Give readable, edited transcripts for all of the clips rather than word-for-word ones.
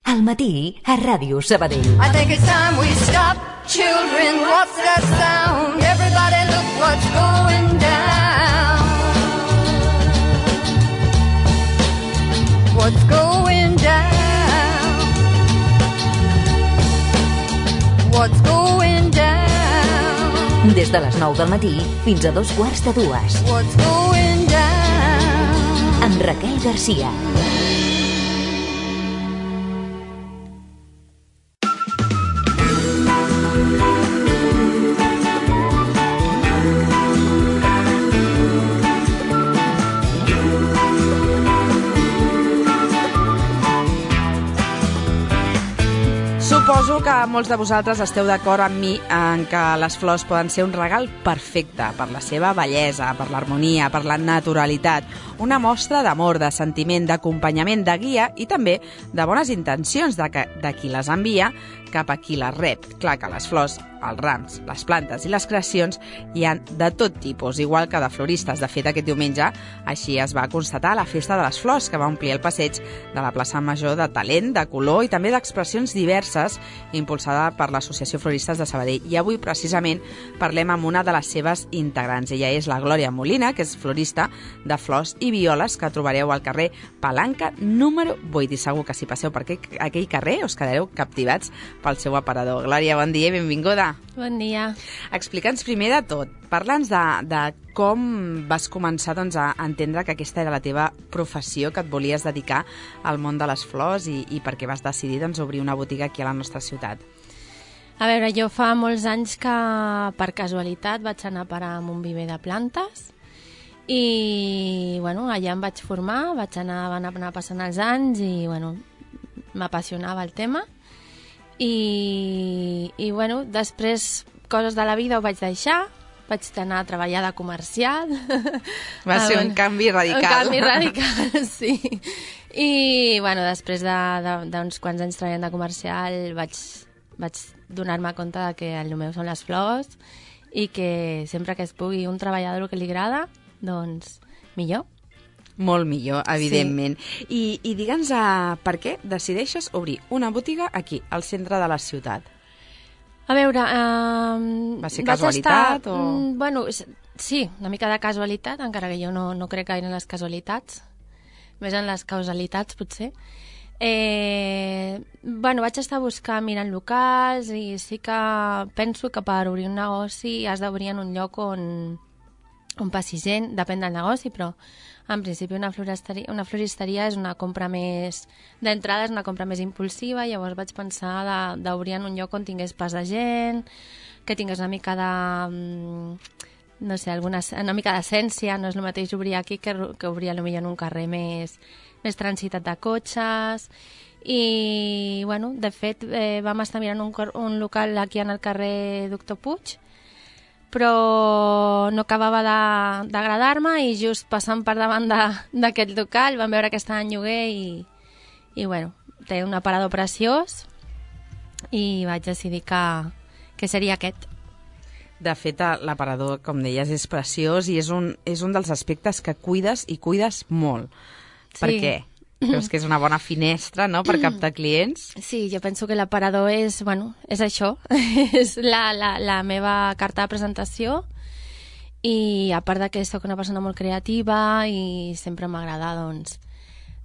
Al matí, a Ràdio Sabadell. I think it's time we stop. Children, what's that sound? Everybody look what's going down. What's going down? What's going down? Des de les 9 del matí fins a 2:15. What's going down? Amb Raquel Garcia. Suposo que molts de vosaltres esteu d'acord amb mi en que les flors poden ser un regal perfecte per la seva bellesa, per l'harmonia, per la naturalitat, una mostra d'amor, de sentiment, d'acompanyament, de guia i també de bones intencions de qui les envia cap a qui les rep. Clar que les flors, els rams, les plantes i les creacions hi han de tot tipus, igual que de floristes. De fet, aquest diumenge així es va constatar a la Festa de les Flors, que va omplir el passeig de la plaça Major de talent, de color i també d'expressions diverses, impulsada per l'Associació Floristes de Sabadell. I avui, precisament, parlem amb una de les seves integrants. Ella és la Glòria Molina, que és florista de flors i violes, que trobareu al carrer Palanca número 8. I segur que si passeu per aquell carrer us quedareu captivats pel seu aparador. Glòria, bon dia i benvinguda. Bon dia. Explica'ns primer de tot, parla'ns de com vas començar a entendre que aquesta era la teva professió, que et volies dedicar al món de les flors i per què vas decidir obrir una botiga aquí a la nostra ciutat. A veure, jo fa molts anys que per casualitat vaig anar a parar a un viver de plantes i allà em vaig formar, van anar passant els anys i m'apassionava el tema. I després, coses de la vida ho vaig deixar, vaig anar a treballar de comercial. Va ser un canvi radical. Un canvi radical, sí. I després d'uns quants anys treballant de comercial vaig donar-me compte que el meu són les flors i que sempre que es pugui un treballador el que li agrada, doncs millor. Molt millor, evidentment. Sí. I digue'ns per què decideixes obrir una botiga aquí, al centre de la ciutat? A veure... Va ser casualitat o...? Sí, una mica de casualitat, encara que jo no crec gaire en les casualitats, més en les causalitats, potser. Vaig estar mirant locals i sí que penso que per obrir un negoci has d'obrir en un lloc on passi gent, depèn del negoci, però en principi una floristeria és una compra més... D'entrada és una compra més impulsiva, llavors vaig pensar d'obrir en un lloc on tingués pas de gent, que tingués una mica de... una mica d'essència, no és el mateix obrir aquí que obrir potser en un carrer més transitat de cotxes. I, de fet, vam estar mirant un local aquí en el carrer Doctor Puig, però no acabava d'agradar-me i just passant per davant d'aquest local vam veure que estava en lloguer i té un aparador preciós i vaig decidir que seria aquest. De fet, l'aparador, com deies, és preciós i és un dels aspectes que cuides i cuides molt. Sí. Per què? Creus que és una bona finestra, no?, per captar clients? Sí, jo penso que l'aparador és això, és la meva carta de presentació i a part que soc una persona molt creativa i sempre m'agrada,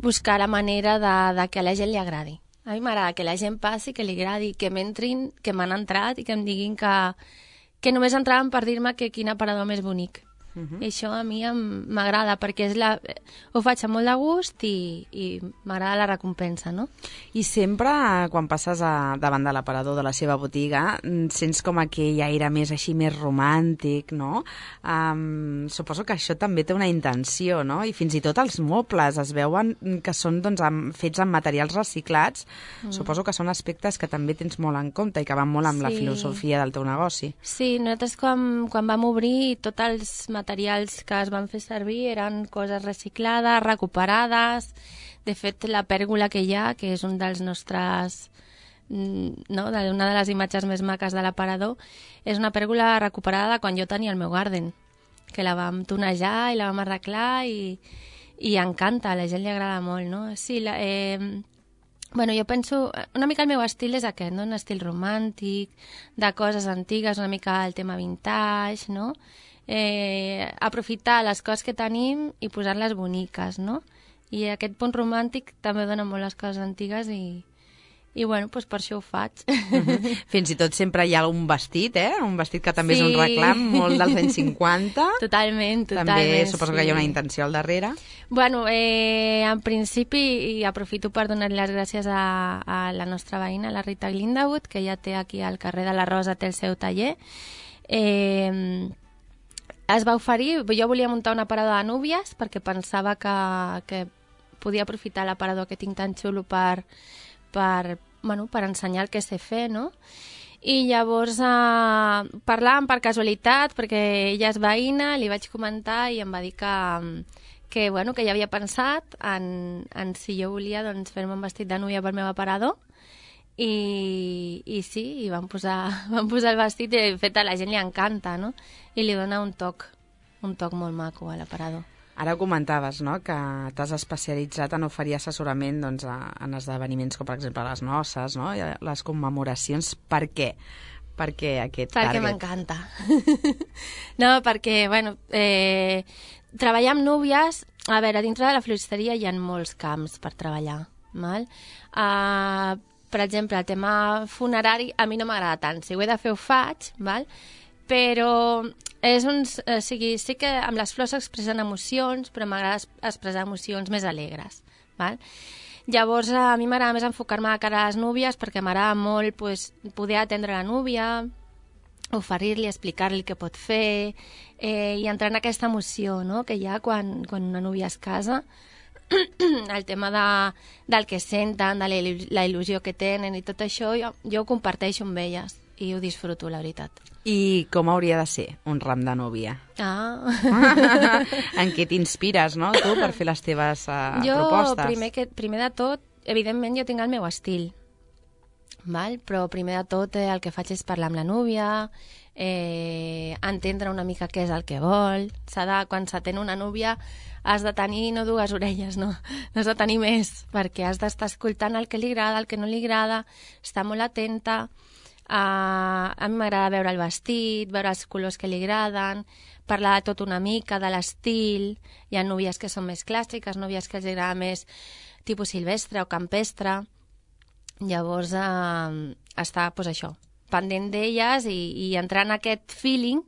buscar la manera de que a la gent li agradi. A mi m'agrada que la gent passi, que li agradi, que m'entrin, que m'han entrat i que em diguin que només entraven per dir-me que quin aparador més bonic. I això a mi m'agrada perquè ho faig amb molt de gust i m'agrada la recompensa, no? I sempre, quan passes davant de l'aparador de la seva botiga, sents com aquell aire més així, més romàntic, no? Suposo que això també té una intenció, no? I fins i tot els mobles es veuen que són fets amb materials reciclats. Suposo que són aspectes que també tens molt en compte i que van molt amb la filosofia del teu negoci. Sí, nosaltres quan vam obrir tots els materials que es van fer servir eren coses reciclades, recuperades. De fet, la pèrgola que hi ha, que és un dels nostres... una de les imatges més maques de l'aparador, és una pèrgola recuperada de quan jo tenia el meu garden, que la vam tonejar i la vam arreglar i encanta, a la gent li agrada molt, no? Sí, Bueno, jo penso... Una mica el meu estil és aquest, no? Un estil romàntic, de coses antigues, una mica el tema vintage, no? Aprofitar les coses que tenim i posar-les boniques, no? I aquest punt romàntic també dona molt les coses antigues i bueno, doncs per això ho faig. Fins i tot sempre hi ha un vestit, un vestit que també és un reclam, molt dels anys 50. Totalment. També suposo que hi ha una intenció al darrere. Bueno, en principi, i aprofito per donar les gràcies a la nostra veïna, la Rita Glindawood, que ja té aquí al carrer de la Rosa, té el seu taller. Es va oferir, jo volia muntar un aparador de núvies perquè pensava que podia aprofitar l'aparador que tinc tan xulo per ensenyar el que sé fer, no? I llavors parlàvem per casualitat, perquè ella és veïna, li vaig comentar i em va dir que ja havia pensat en si jo volia doncs, fer-me un vestit de núvia pel meu aparador i sí, i vam posar el vestit i de fet a la gent li encanta, no? I li dona un toc molt maco a l'aparador. Ara ho comentaves, no?, que t'has especialitzat en oferir assessorament doncs, en esdeveniments com, per exemple, les noces, no?, i les commemoracions. Per què? Per què aquest target? Perquè m'encanta. No, perquè, treballar amb núvies... A veure, dintre de la floristeria hi ha molts camps per treballar, val? Per exemple, el tema funerari a mi no m'agrada tant. Si ho he de fer, ho faig, val? Però sí que amb les flors s'expressen emocions, però m'agrada expressar emocions més alegres. Val? Llavors, a mi m'agrada més enfocar-me a cara a les núvies perquè m'agrada molt poder atendre la núvia, oferir-li, explicar-li què pot fer i entrar en aquesta emoció, no?, que hi ha quan una núvia es casa, el tema del que senten, de la il·lusió que tenen i tot això, jo ho comparteixo amb elles i ho disfruto, la veritat. I com hauria de ser un ram de núvia? En què t'inspires, no?, tu, per fer les teves propostes? Jo, primer de tot, evidentment jo tinc el meu estil, val? Però primer de tot el que faig és parlar amb la núvia, entendre una mica què és el que vol. Quan s'atén una núvia has de tenir no dues orelles, no has de tenir més, perquè has d'estar escoltant el que li agrada, el que no li agrada, estar molt atenta. A mi m'agrada veure el vestit, veure els colors que li agraden, parlar de tot una mica, de l'estil. Hi ha núvies que són més clàssiques, núvies que els agrada més tipus silvestre o campestre. Llavors, estar, això, pendent d'elles i entrar en aquest feeling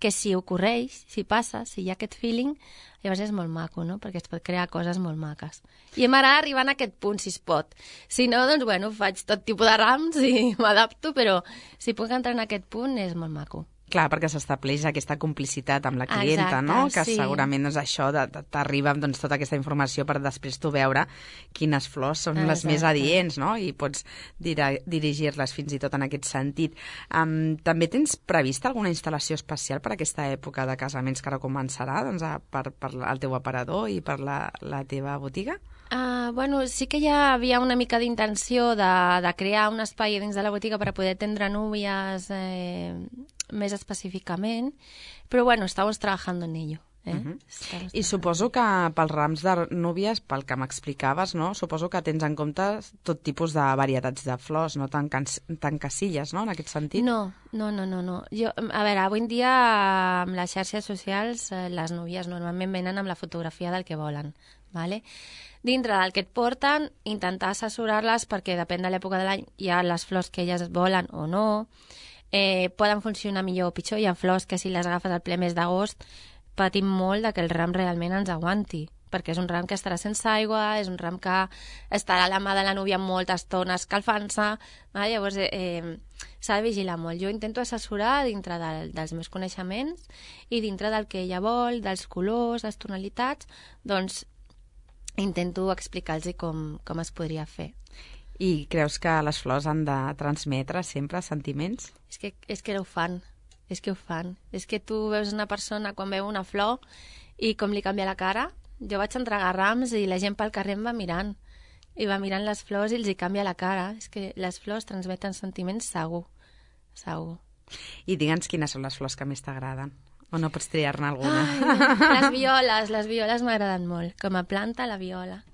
que si ocorreix, si passa, si hi ha aquest feeling, llavors és molt maco, no?, perquè es pot crear coses molt maques. I m'agrada arribar a aquest punt, si es pot. Si no, doncs, faig tot tipus de rams i m'adapto, però si puc entrar en aquest punt és molt maco. Clar, perquè s'estableix aquesta complicitat amb la clienta, no? Que sí. Segurament això t'arriba amb tota aquesta informació per després tu veure quines flors són les més adients, no? I pots dirigir-les fins i tot en aquest sentit. També tens prevista alguna instal·lació especial per aquesta època de casaments que ara començarà, doncs, per el teu aparador i per la teva botiga? Sí que ja havia una mica d'intenció de crear un espai dins de la botiga per a poder atendre núvies més específicament, però estamos trabajando en ello. I suposo que pels rams de núvies, pel que m'explicaves, no? Suposo que tens en compte tot tipus de varietats de flors, no tan casilles, no?, en aquest sentit? No. Avui en dia amb les xarxes socials les núvies normalment venen amb la fotografia del que volen, ¿vale? Dintre del que et porten, intentar assessorar-les perquè depèn de l'època de l'any hi ha les flors que elles volen o no, poden funcionar millor o pitjor. Hi ha flors que si les agafes al ple mes d'agost patim molt que el ram realment ens aguanti, perquè és un ram que estarà sense aigua, és un ram que estarà a la mà de la núvia molta estona escalfant-se, llavors s'ha de vigilar molt. Jo intento assessorar dintre dels meus coneixements i dintre del que ella vol, dels colors, les tonalitats, doncs intento explicar-los com es podria fer. I creus que les flors han de transmetre sempre sentiments? És que ho fan. És que tu veus una persona quan veu una flor i com li canvia la cara. Jo vaig entregar rams i la gent pel carrer em va mirant. I va mirant les flors i els hi canvia la cara. És que les flors transmeten sentiments segur. I digue'ns quines són les flors que més t'agraden. O no pots triar-ne alguna? Les violes m'agraden molt. Com a planta, la viola.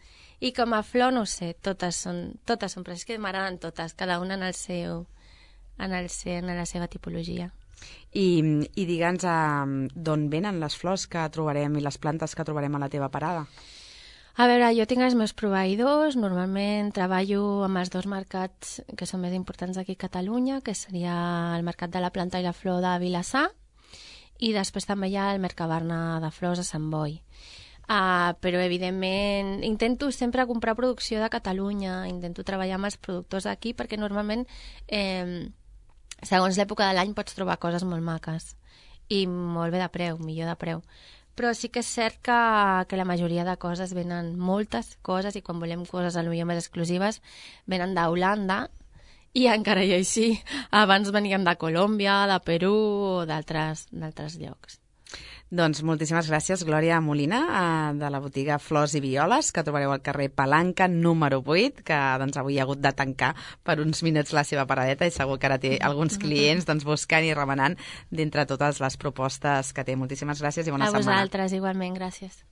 I com a flor, no ho sé, totes són però és que m'agraden totes, cada una en la seva tipologia. I digue'ns d'on venen les flors que trobarem i les plantes que trobarem a la teva parada? A veure, jo tinc els meus proveïdors, normalment treballo amb els 2 mercats que són més importants aquí a Catalunya, que seria el Mercat de la Planta i la Flor de Vilassar, i després també hi ha el Mercabarna de Flors a Sant Boi. Però, evidentment, intento sempre comprar producció de Catalunya, intento treballar amb els productors d'aquí, perquè normalment, segons l'època de l'any, pots trobar coses molt maques i molt bé de preu, millor de preu. Però sí que és cert que la majoria de coses venen, moltes coses, i quan volem coses potser més exclusives, venen d'Holanda, i encara i així, abans venien de Colòmbia, de Perú o d'altres llocs. Doncs moltíssimes gràcies, Glòria Molina, de la botiga Flors i Violes, que trobareu al carrer Palanca, número 8, que avui ha hagut de tancar per uns minuts la seva paradeta i segur que ara té alguns clients buscant i remenant d'entre totes les propostes que té. Moltíssimes gràcies i bona setmana. A vosaltres, igualment, gràcies.